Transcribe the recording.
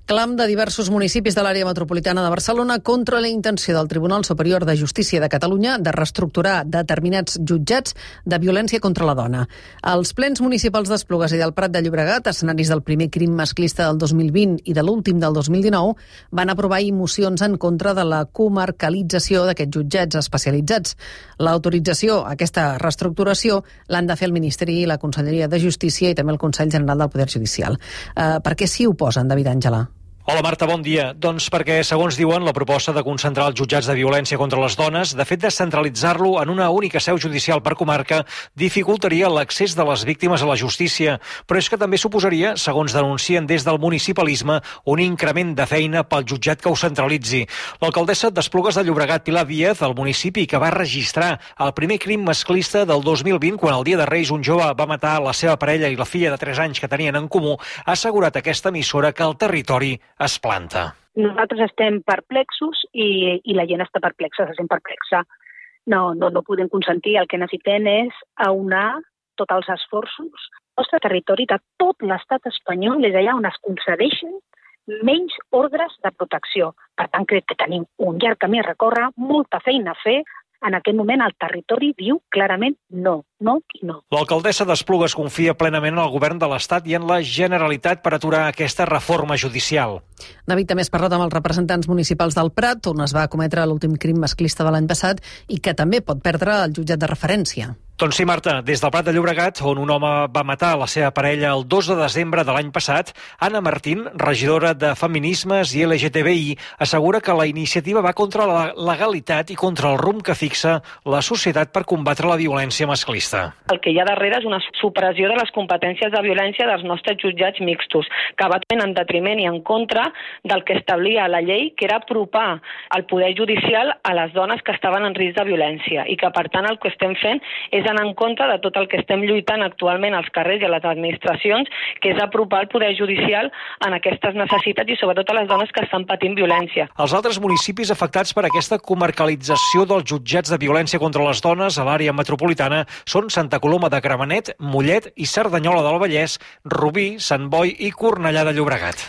Clam de diversos municipis de l'àrea metropolitana de Barcelona contra la intenció del Tribunal Superior de Justícia de Catalunya de reestructurar determinats jutjats de violència contra la dona. Els plens municipals d'Esplugues i del Prat de Llobregat, escenaris del primer crim masclista del 2020 i de l'últim del 2019, van aprovar mocions en contra de la comarcalització d'aquests jutjats especialitzats. L'autorització a aquesta reestructuració l'han de fer el Ministeri i la Conselleria de Justícia i també el Consell General del Poder Judicial. Per què s'hi oposen, David Àngela? Hola Marta, bon dia. Doncs perquè, segons diuen, la proposta de concentrar els jutjats de violència contra les dones, de fet descentralitzar-lo en una única seu judicial per comarca, dificultaria l'accés de les víctimes a la justícia, però és que també suposaria, segons denuncien des del municipalisme, un increment de feina pel jutjat que ho centralitzi. L'alcaldessa d'Esplugues de Llobregat, Pilar Díaz, el municipi que va registrar el primer crim masclista del 2020, quan el dia de Reis un jove va matar la seva parella i la filla de 3 anys que tenien en comú, ha assegurat a aquesta emissora que el territori es planta. Nosaltres estem perplexos i la gent està perplexa, se sent perplexa. No podem consentir, el que necessitem és aunar tots els esforços. El nostre territori de tot l'estat espanyol és allà on es concedeixen menys ordres de protecció. Per tant, crec que tenim un llarg camí a recórrer, molta feina a fer. En aquest moment el territori diu clarament no i no. L'alcaldessa d'Esplugues confia plenament en el govern de l'Estat i en la Generalitat per aturar aquesta reforma judicial. David, també has parlat amb els representants municipals del Prat, on es va cometre l'últim crim masclista de l'any passat i que també pot perdre el jutjat de referència. Doncs sí, Marta, des del Prat de Llobregat, on un home va matar la seva parella el 2 de desembre de l'any passat, Anna Martín, regidora de Feminismes i LGTBI, assegura que la iniciativa va contra la legalitat i contra el rumb que fixa la societat per combatre la violència masclista. El que hi ha darrere és una supressió de les competències de violència dels nostres jutjats mixtos, que va en detriment i en contra del que establia la llei, que era apropar el poder judicial a les dones que estaven en risc de violència i que, per tant, el que estem fent és anar en contra de tot el que estem lluitant actualment als carrers i a les administracions, que és apropar el poder judicial en aquestes necessitats i sobretot a les dones que estan patint violència. Els altres municipis afectats per aquesta comarcalització dels jutjats de violència contra les dones a l'àrea metropolitana són Santa Coloma de Gramenet, Mollet i Cerdanyola del Vallès, Rubí, Sant Boi i Cornellà de Llobregat.